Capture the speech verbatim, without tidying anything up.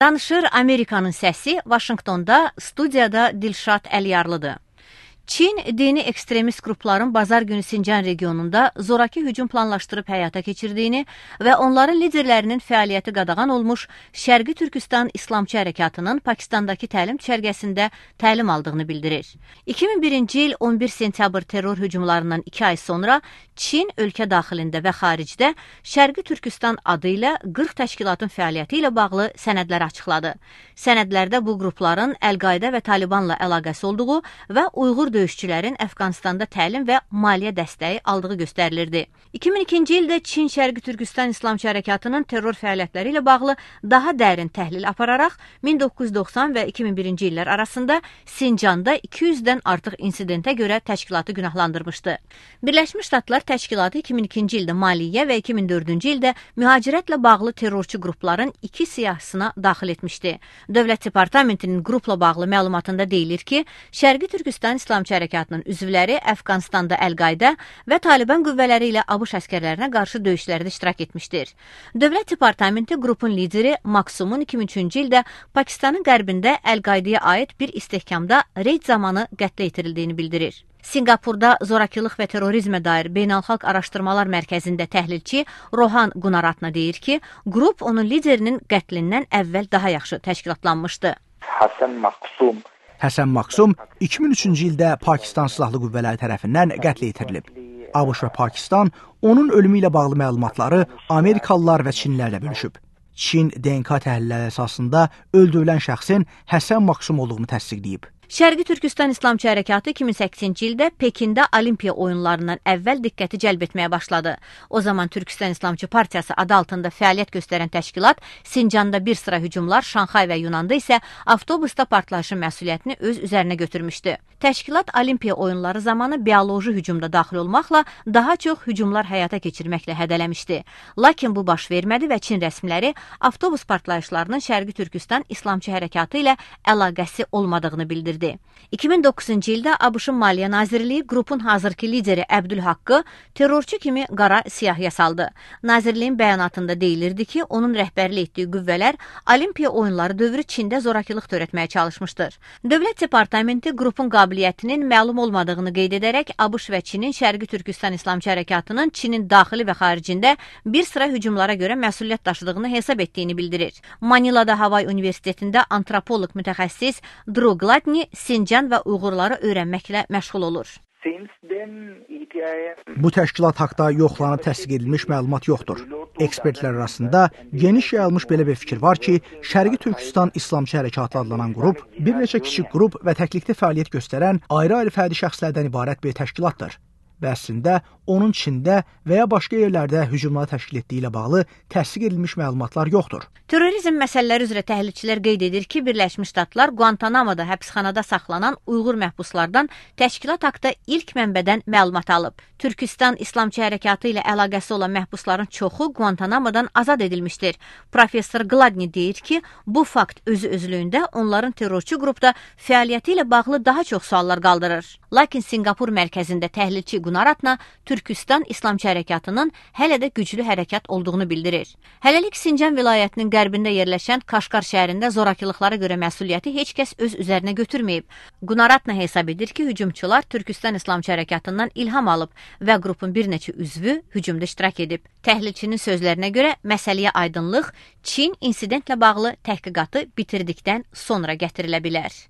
Danışır Amerikanın səsi, Vaşinqtonda, studiyada Dilşad Əliyarlıdır. Çin dini ekstremist qrupların bazar günü Sincan regionunda zoraki hücum planlaşdırıb həyata keçirdiyini və onların liderlərinin fəaliyyəti qadağan olmuş Şərqi Türkistan İslamçı Hərəkatının Pakistandakı təlim düşərgəsində təlim aldığını bildirir. iki min birinci il on bir sentyabr terror hücumlarından iki ay sonra Çin ölkə daxilində və xaricdə Şərqi Türkistan adı ilə qırx təşkilatın fəaliyyəti ilə bağlı sənədlər açıqladı. Sənədlərdə bu qrupların Əl-Qayda və Talibanla əlaqəsi olduğu və Uyğur döyüşçülərin Əfqanistanda təlim və maliyyə dəstəyi aldığı göstərilirdi. iki min ikinci ildə Çin Şərqi Türkistan İslamçı Hərəkatının terror fəaliyyətləri ilə bağlı daha dərin təhlil apararaq min doqquz yüz doxsan və iki min birinci illər arasında Sincanda iki yüzdən artıq insidentə görə təşkilatı günahlandırmışdı. Birləşmiş Ştatlar təşkilatı iki min ikinci ildə maliyyə və iki min dördüncü ildə mühacirətlə bağlı terrorçu qrupların iki siyahısına daxil etmişdi. Dövlət Departamentinin qrupla bağlı məlumatında deyilir ki, Şərqi Türkistan İslamçı Hərəkatının üzvləri Əfqanistanda Əl-Qayda və Taliban qüvvələri ilə ABŞ əskərlərinə qarşı döyüşlərdə iştirak etmişdir. Dövlət Departamenti qrupun lideri Maksumun iki min üçüncü ildə Pakistanın qərbində Əl-Qaydaya aid bir istehkamda reyd zamanı qətlə yetirildiyini bildirir. Singapurda zorakılıq və terrorizmə dair Beynəlxalq Araşdırmalar Mərkəzində təhlilçi Rohan Gunaratna deyir ki, qrup onun liderinin qətlindən əvvəl daha yaxşı təşkilatlanmışdı. Hasan Maksum Həsən Maksum iki min üçüncü ildə Pakistan Silahlı Qüvvələri tərəfindən qətlə yetirilib. ABŞ və Pakistan onun ölümü ilə bağlı məlumatları Amerikalılar və Çinlərlə bölüşüb. Çin D N K təhlilləri əsasında öldürülən şəxsin Həsən Maksum olduğunu təsdiqləyib. Şərqi Türkistan İslamçı Hərəkatı iki min səkkizinci ildə Pekində Olimpiya oyunlarından əvvəl diqqəti cəlb etməyə başladı. O zaman Türkistan İslamçı Partiyası adı altında fəaliyyət göstərən təşkilat Sincanda bir sıra hücumlar, Şanxay və Yunanda isə avtobusda partlayışın məsuliyyətini öz üzərinə götürmüşdü. Təşkilat Olimpiya oyunları zamanı bioloji hücumda daxil olmaqla daha çox hücumlar həyata keçirməklə hədələmişdi. Lakin bu baş vermədi və Çin rəsmiləri avtobus partlayışlarının Şərqi Türkistan İslamçı Hərəkatı ilə əlaqəsi olmadığını bildirdi. iki min doqquzuncu ildə ABŞ-ın Maliyyə Nazirliyi qrupun hazırki lideri Əbdülhaqqı terrorçu kimi qara siyahıya saldı. Nazirliyin bəyanatında deyilirdi ki, onun rəhbərlik etdiyi qüvvələr Olimpiya oyunları dövrü Çində zorakılıq törətməyə çalışmışdır. Dövlət Departamenti qrupun qabiliyyətinin məlum olmadığını qeyd edərək ABŞ və Çinin Şərqi Türkistan İslamçı Hərəkatının Çinin daxili və xaricində bir sıra hücumlara görə məsuliyyət daşıdığını hesab etdiyini bildirir. Manilada Havay Universitetində antropoloq mütəxəssis Drew Gladney Sincan və Uyğurları öyrənməklə məşğul olur. Bu təşkilat haqda yoxlanıb təsdiq edilmiş məlumat yoxdur. Ekspertlər arasında geniş yayılmış belə bir fikir var ki, Şərqi Türkistan İslamçı Hərəkatı adlanan qrup bir neçə kiçik qrup və təklikdə fəaliyyət göstərən ayrı-ayrı fərdi şəxslərdən ibarət bir təşkilatdır. Və əslində onun Çində və ya başqa yerlərdə hücumları təşkil etdiyi ilə bağlı təsdiq edilmiş məlumatlar yoxdur. Terrorizm məsələləri üzrə təhlilçilər qeyd edir ki, Birləşmiş Ştatlar Guantanamoda həbsxanada saxlanan Uyğur məhbuslardan təşkilat haqda ilk mənbədən məlumat alıb. Türkistan İslamçı Hərəkatı ilə əlaqəsi olan məhbusların çoxu Guantanamodan azad edilmişdir. Professor Gladney deyir ki, bu fakt özü özlüyündə onların terrorçu qrupda fəaliyyəti ilə bağlı daha çox suallar qaldırır. Lakin Singapur mərkəzində təhlilçi Gunaratna Türkistan İslamçı Hərəkatının hələ də güclü hərəkat olduğunu bildirir. Hələlik Sincan vilayətinin qərbində yerləşən Kaşqar şəhərində zorakılıqlara görə məsuliyyəti heç kəs öz üzərinə götürməyib. Gunaratna hesab edir ki, hücumçular Türkistan İslamçı Hərəkatından ilham alıb və qrupun bir neçə üzvü hücumda iştirak edib. Təhlilçinin sözlərinə görə məsələyə aydınlıq Çin insidentlə bağlı təhqiqatı bitirdikdən sonra gətirilə bilər.